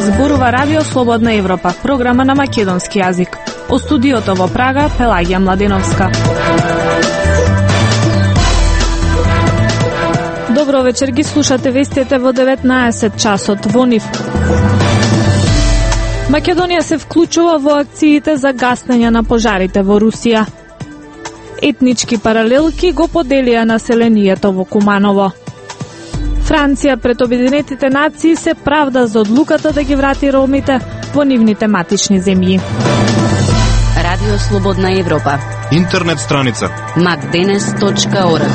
Зборува Радио Слободна Европа, програма на македонски јазик. Од студиото во Прага, Пелагија Младеновска. Добро вечер, ги слушате вестите во 19 часот во нив. Македонија се вклучува во акциите за гаснење на пожарите во Русија. Етнички паралелки го поделија населението во Куманово. Франција пред Обединетите нации се правда за одлуката да ги врати ромите во нивните матични земји. Радио Слободна Европа. Интернет страница macdenes.org.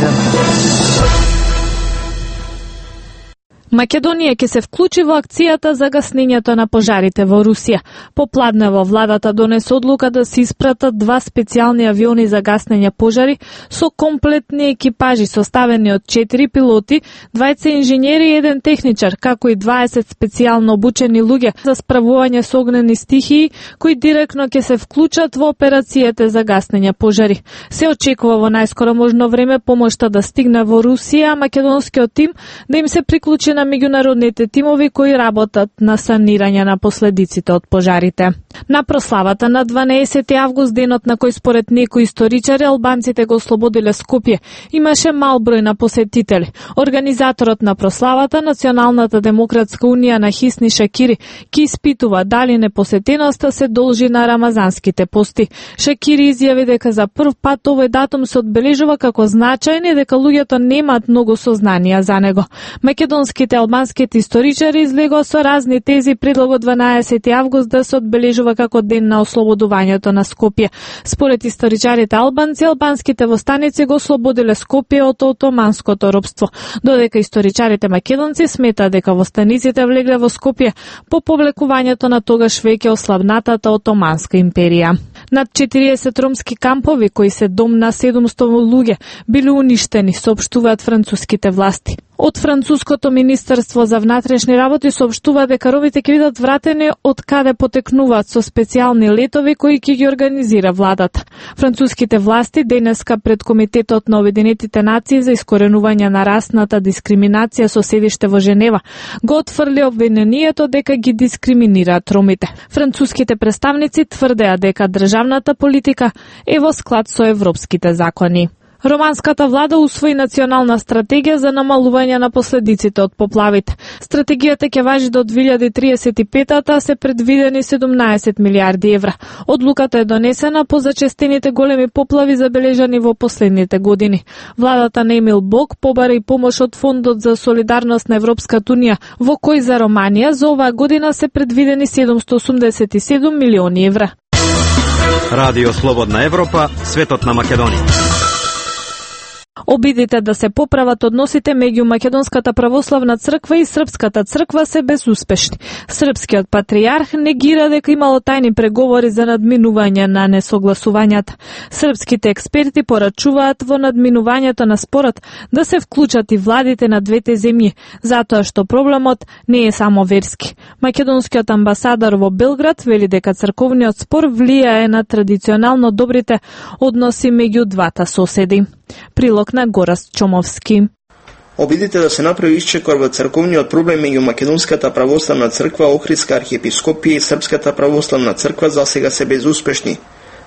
Македонија ќе се вклучи во акцијата за гаснењето на пожарите во Русија. Попладнево владата донесе одлука да се испратат 2 специјални авиони за гаснење пожари со комплетни екипажи составени од 4 пилоти, 2 инженери и 1 техничар, како и 20 специјално обучени луѓе за справување со огнени стихии, кои директно ќе се вклучат во операцијите за гаснење пожари. Се очекува во најскоро можно време помошта да стигне во Русија, а македонскиот тим да им се приклучи на меѓународните тимови кои работат на санирање на последиците од пожарите. На прославата на 12 август, денот на кој според некои историчари албанците го ослободиле Скопје, имаше мал број на посетители. Организаторот на прославата, Националната демократска унија на Хисни Шакири, ки испитува дали непосетеноста се должи на рамазанските пости. Шакири изјави дека за прв пат овој датум се одбележува како значајен и дека луѓето немаат многу сознанија за него. Македонските албанските историчари излегоа со разни тези предлогот 12 август да се одбележува како ден на ослободувањето на Скопје. Според историчарите албанци, албанските востаници го ослободиле Скопје од отоманското робство, додека историчарите македонци сметаат дека востаниците влегле во Скопје по повлекувањето на тогаш веќе ослабнатата отоманска империја. Над 40 ромски кампови, кои се дом на 700 луѓе, биле уништени, соопштуваат француските власти. Од Француското министерство за внатрешни работи соопштува дека ромите ќе бидат вратени од каде потекнуваат со специјални летови кои ќе ги организира владата. Француските власти денеска пред Комитетот на Обединетите нации за искоренување на расната дискриминација со седиште во Женева го отфрли обвинението дека ги дискриминираат ромите. Француските представници тврдеа дека државната политика е во склад со европските закони. Романската влада усвои национална стратегија за намалување на последиците од поплавите. Стратегијата ќе важи до 2035-та, а се предвидени 17 милиарди евра. Одлуката е донесена по зачестените големи поплави забележани во последните години. Владата на Емил Бог побара и помош од Фондот за солидарност на Европската унија, во кој за Романија за оваа година се предвидени 787 милиони евра. Радио Слободна Европа, светот на Македонија. Обидите да се поправат односите меѓу Македонската православна црква и Српската црква се безуспешни. Српскиот патријарх негира дека имало тајни преговори за надминување на несогласувањата. Српските експерти порачуваат во надминувањето на спорот да се вклучат и владите на двете земји, затоа што проблемот не е само верски. Македонскиот амбасадор во Белград вели дека црковниот спор влијае на традиционално добрите односи меѓу двата соседи. Прилог на Горас Чомовски. Обидите да се направи исчекор во црковниот проблем меѓу Македонската православна црква, Охридска архиепископија и Српската православна црква засега се безуспешни.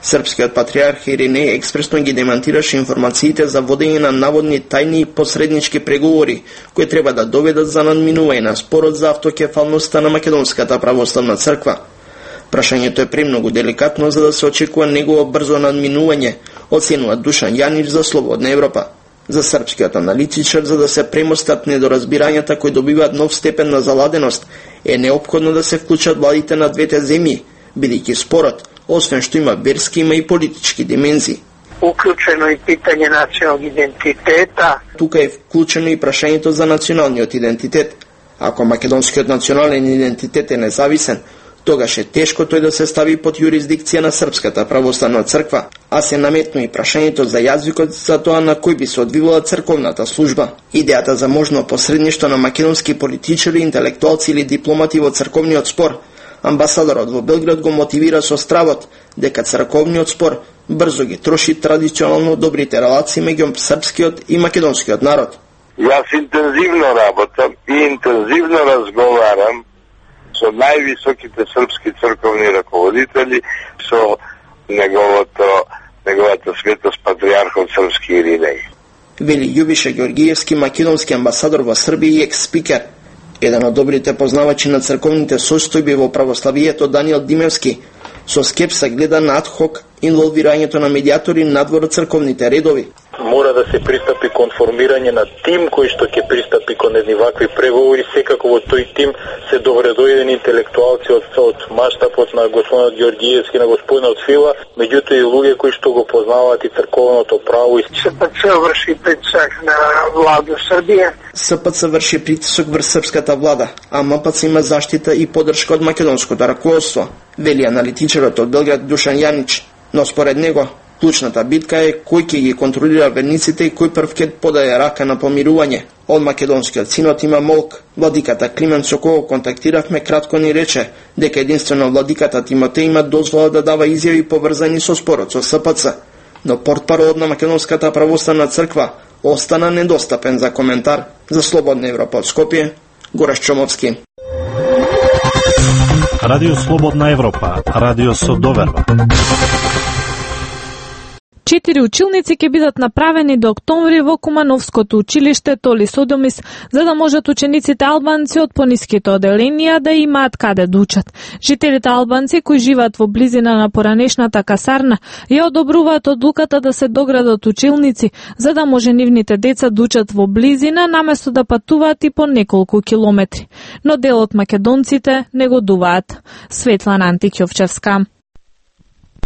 Српскиот патријарх Иринеј експресно ги демантираше информациите за водење на наводни тајни посреднички преговори, кои треба да доведат за надминување на спорот за автокефалноста на Македонската православна црква. Прашањето е премногу деликатно за да се очекува негово брзо надминување, оценува Душан Јанич за Слободна Европа. За српскиот аналитичар, за да се премостат недоразбирањата кои добиваат нов степен на заладеност, е неопходно да се вклучат владите на двете земји, бидејќи спорот, освен што има верски, има и политички димензии. Уклучено и питање национални идентитета. Тука е вклучено и прашањето за националниот идентитет. Ако македонскиот национален идентитет е независен, тогаш е тешко тој да се стави под јурисдикција на Српската православна црква, а се наметну и прашањето за јазикот за тоа на кој би се одвивала црковната служба. Идејата за можно посредништво на македонски политичари, интелектуалци или дипломати во црковниот спор, амбасадорот во Белград го мотивира со стравот дека црковниот спор брзо ги троши традиционално добрите релации меѓу српскиот и македонскиот народ. Јас интензивно работам и интензивно разговарам со највисоките српски црковни раководители, со неговата светост патриархот српски Иринеј. Вели Љубиша Ѓоргиевски, македонски амбасадор во Србија и екс-спикер. Еден од добрите познавачи на црковните состојби во православието Даниел Димевски со скепса гледа на адхок инволвирањето на медијатори надвор од црковните редови. Мора да се пристапи кон формирање на тим кој што ќе пристапи кон едни вакви преговори. Секако во тој тим се добредојдени интелектуалци од маштабот на господинот Ѓоргиевски, на господинот Фила, меѓутоа и луѓе кои што го познаваат и црковното право. СПЦ врши притисок на владу Србија. СПЦ врши притисок врз српската влада, а МПЦ има заштита и подршка од македонското раководство, вели аналитичарот од Белград Душан Јанич. Но според него, клучната битка е кој ќе ги контролира верниците и кој прв ќе подаде рака на помирување. Од македонскиот синод има молк. Владиката Климент со кого контактиравме кратко ни рече дека единствено владиката Тимотеј има дозвола да дава изјави поврзани со спорот со СПЦ, но портпаролот на Македонската православна црква остана недостапен за коментар. За Слободна Европа од Скопје, Гораш Чомовски. Радио Слободна Европа, радио со доверба. 4 училници ќе бидат направени до октомври во Кумановското училиште Толи Содомис, за да можат учениците албанци од пониските оделенија да имаат каде да учат. Жителите албанци кои живеат во близина на поранешната касарна ја одобруваат одлуката да се доградат училници, за да може нивните деца да учат во близина, наместо да патуваат и по неколку километри. Но дел од македонците негодуваат. Светлана Антикјовчевска.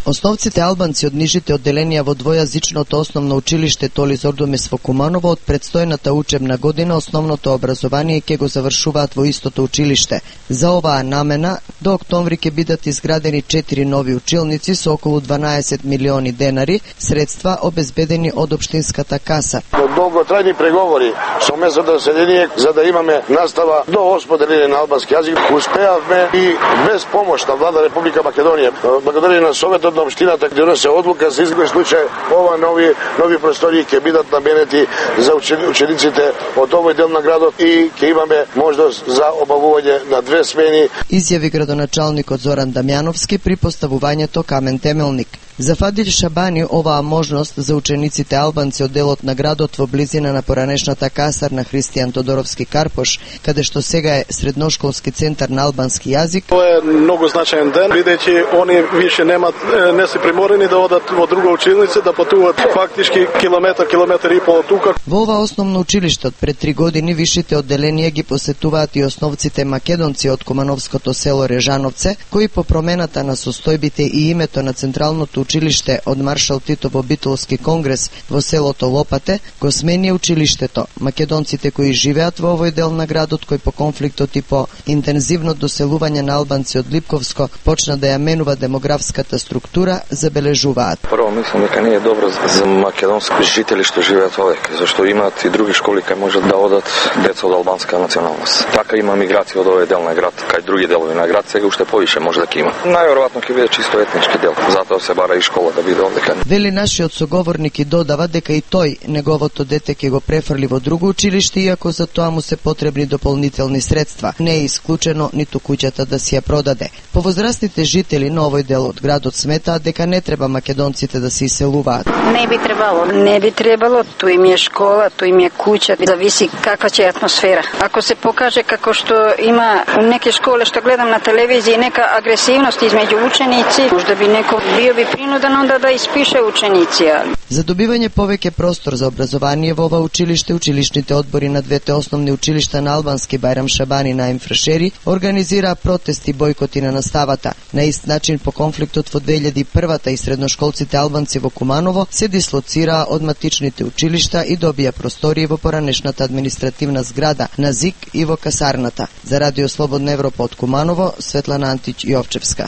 Основците албанци од нижите одделенија во двојазичното основно училиште Толи Содомис во Куманово од предстојната учебна година основното образование ќе го завршуваат во истото училиште. За оваа намена до октомври ќе бидат изградени 4 нови училници со околу 12 милиони денари, средства обезбедени од општинската каса. Долготрајни преговори со местното население за да имаме настава до 8 делење на албански јазик, успеавме и без помош на влада Република Македонија, благодарение на Советот на општината ќе доносе одлука за изглед случај ова нови простори ќе бидат наменети за учениците од овој дел на градот и ќе имаме можност за обавување на 2 смени. Изјави градоначалникот Зоран Дамјановски при поставувањето камен темелник. За Фадил Шабани оваа можност за учениците албанци од делот на градот во близина на поранешната касарна Христијан Тодоровски Карпош, каде што сега е средношколски центар на албански јазик. Тоа е многу значаен ден, бидејќи они више не се приморени да одат во друга училница, да патуваат фактички километар и пол тука. Во ова основно училиште од пред 3 години вишите одделенија ги посетуваат и основците македонци од Кумановското село Режановце, кои по промената на состојбите и името на централното училиште од Маршал Тито во Битолски конгрес во селото Лопате го смени училиштето. Македонците кои живеат во овој дел на градот, кој по конфликтот и по интензивно доселување на албанци од Липковско почна да ја менува демографската структура, забележуваат. Прво мислам дека не е добро за македонски жители што живеат овде, зашто имаат и други школи кај можат да одат деца од албанска националност. Така има миграција од овој дел на град, кај други делови на град, сега уште повише може да ќе има. Најверојатно ќе биде чисто етнички дел, затоа се бара и школа да биде овде. Вели нашиот соговорник и додава дека и тој неговото дете ќе го префрли во друго училиште, иако за тоа му се потребни дополнителни средства. Не е исклучено ниту куќата да си ја продаде. Повозрастните жители на овој дел од градот сметаат дека не треба македонците да се иселуваат. Не би требало, тој им е школа, тој им е куќа, зависи каква ќе е атмосфера. Ако се покаже како што има у неки школе што гледам на телевизија нека агресивност измеѓу ученици, можда би некој би принуден онда да испише ученици. За добивање повеќе простор за образование во ова училиште, училишните одбори на двете основни училишта на албански Бајрам Шабани на Емфрашери организираа протести бойкоти на наставата. На ист начин по конфликтот во 2001 и средношколците албанци во Куманово се дислоцираа од матичните училишта и добија простории во поранешната административна зграда на ЗИК и во касарната. За Радио Слободна Европа од Куманово, Светлана Антикјовчевска.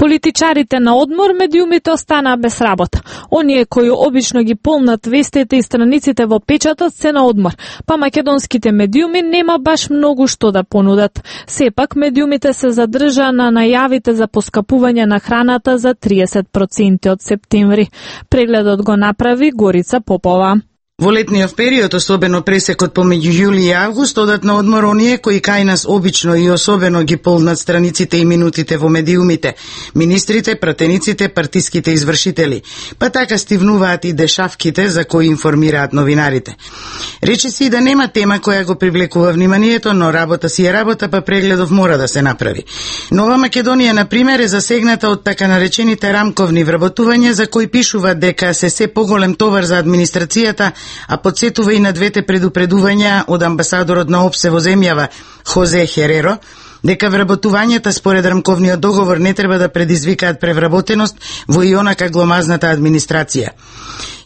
Политичарите на одмор, медиумите останаа без работа. Оние кои обично ги полнат вестите и страниците во печатот се на одмор, па македонските медиуми нема баш многу што да понудат. Сепак медиумите се задржаа на најавите за поскапување на храната за 30% од септември. Прегледот го направи Горица Попова. Во летниот период, особено пресекот помеѓу јули и август, одат на одмор оние кои кај нас обично и особено ги полнат страниците и минутите во медиумите, министрите, пратениците, партиските извршители, па така стивнуваат и дешавките за кои информираат новинарите. Рече си и да нема тема која го привлекува вниманието, но работа си е работа, па прегледов мора да се направи. Нова Македонија, например, е засегната од така наречените рамковни вработувања, за кои пишува дека се поголем товар за администрацијата, а подсетува и на двете предупредувања од амбасадорот на ОПСЕ во земјава Хозе Хереро, дека вработувањата според рамковниот договор не треба да предизвикаат превработеност во и онака гломазната администрација.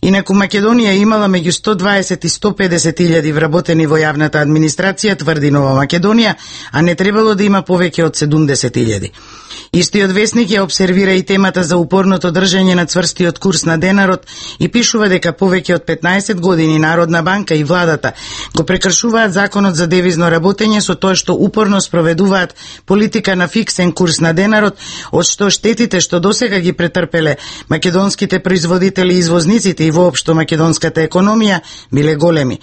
Инаку Македонија имала меѓу 120 и 150 илјади вработени во јавната администрација, тврди Нова Македонија, а не требало да има повеќе од 70 илјади. Истиот весник ја обсервира и темата за упорното држање на цврстиот курс на денарот и пишува дека повеќе од 15 години Народна банка и владата го прекршуваат законот за девизно работење со тоа што упорно спроведуваат политика на фиксен курс на денарот, од што штетите што досега ги претрпеле македонските производители и извозниците и воопшто македонската економија биле големи.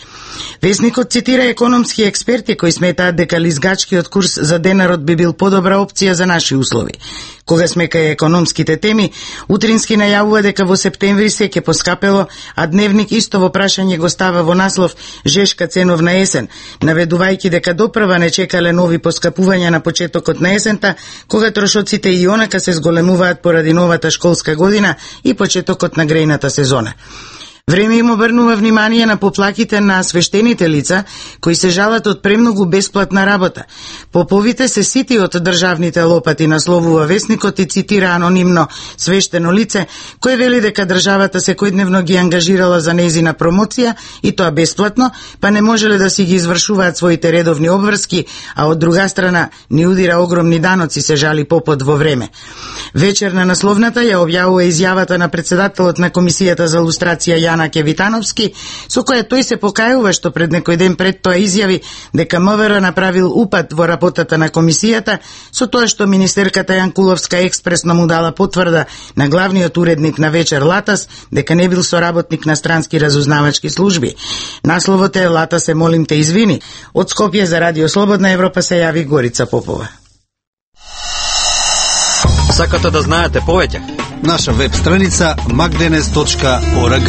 Весникот цитира економски експерти кои сметаат дека лизгачкиот курс за денарот би бил подобра опција за наши услови. Кога сме кај економските теми, утрински најавува дека во септември се ќе поскапело, а Дневник исто во прашање го става во наслов «Жешка ценовна есен», наведувајќи дека допрва не чекале нови поскапувања на почетокот на есента, кога трошоците и онака се зголемуваат поради новата школска година и почетокот на грејната сезона. Време им обрнува внимание на поплаките на свештените лица, кои се жалат од премногу бесплатна работа. Поповите се сити од државните лопати, насловува весникот и цитира анонимно свештено лице, кој вели дека државата секојдневно ги ангажирала за нејзина промоција и тоа бесплатно, па не можеле да си ги извршуваат своите редовни обврски, а од друга страна ни удира огромни даноци, се жали попот во време. Вечер на насловната ја објавува изјавата на председателот на Комисијата за лустрација Јанаке Витановски, со која тој се покајува што пред некој ден пред тоа изјави дека МВР направил упад во работата на комисијата, со тоа што министерката Јанкуловска експресно му дала потврда на главниот уредник на Вечер Латас дека не бил соработник на странски разузнавачки служби. Насловот е «Лата се молим те извини». Од Скопје за Радио Слободна Европа се јави Горица Попова. Сакате да знаете повеќе? Наша веб страница magdenes.org.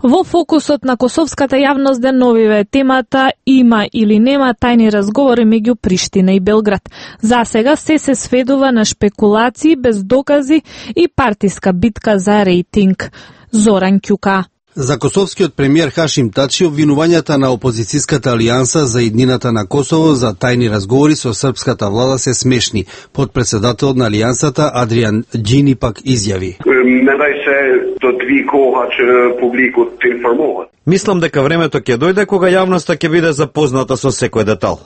Во фокусот на косовската јавност деновиве темата има или нема тајни разговори меѓу Приштина и Белград. Засега се сведува на шпекулации без докази и партиска битка за рейтинг. Зоран Ќука. За косовскиот премиер Хашим Тачи обвинувањата на опозицијската алијанса за иднината на Косово за тајни разговори со српската влада се смешни. Подпредседателот на алијансата Адриан Џини пак изјави. Мислам дека времето ќе дојде кога јавноста ќе биде запозната со секој детал.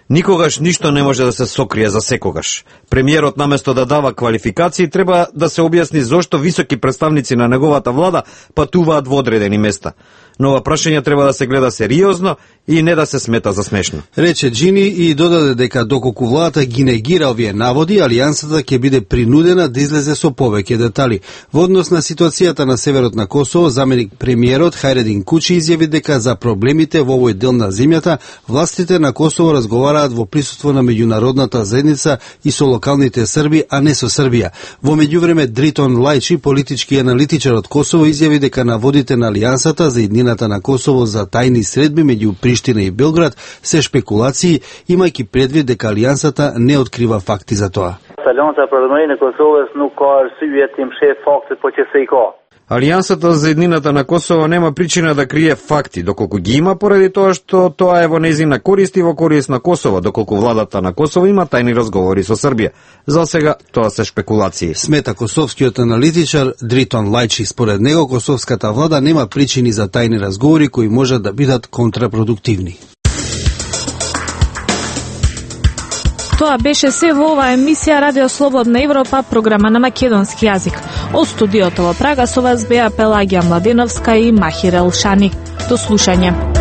Никогаш ништо не може да се сокрие за секогаш. Премиерот наместо да дава квалификации треба да се објасни зошто високи представници на неговата влада патуваат во одредени места. Но ова прашање треба да се гледа сериозно и не да се смета за смешно. Рече Џини и додаде дека доколку владата ги негира овие наводи, алијансата ќе биде принудена да излезе со повеќе детали. Во однос на ситуацијата на северот на Косово, заменик премиерот Хајредин Кучи изјави дека за проблемите во овој дел на земјата, властите на Косово разговараат во присуство на меѓународната заедница и со локалните срби, а не со Србија. Во меѓувреме Дритон Лајчи, политички аналитичар од Косово, изјави дека наводите на алијансата за иднината на Косово за тајни средби меѓу Приштина и Белград се шпекулации, имајќи предвид дека алијансата не открива факти за тоа. Алијансата за еднината на Косово нема причина да крие факти, доколку ги има поради тоа што тоа е во нејзина корист и во корист на Косово, доколку владата на Косово има тајни разговори со Србија. За сега тоа се шпекулации. Смета косовскиот аналитичар Дритон Лајчи. Според него косовската влада нема причини за тајни разговори кои можат да бидат контрапродуктивни. Тоа беше се во оваа емисија Радио Слободна Европа, програма на македонски јазик. Од студиото во Прага со вас беа Пелагија Младеновска и Махир Елшани. До слушање.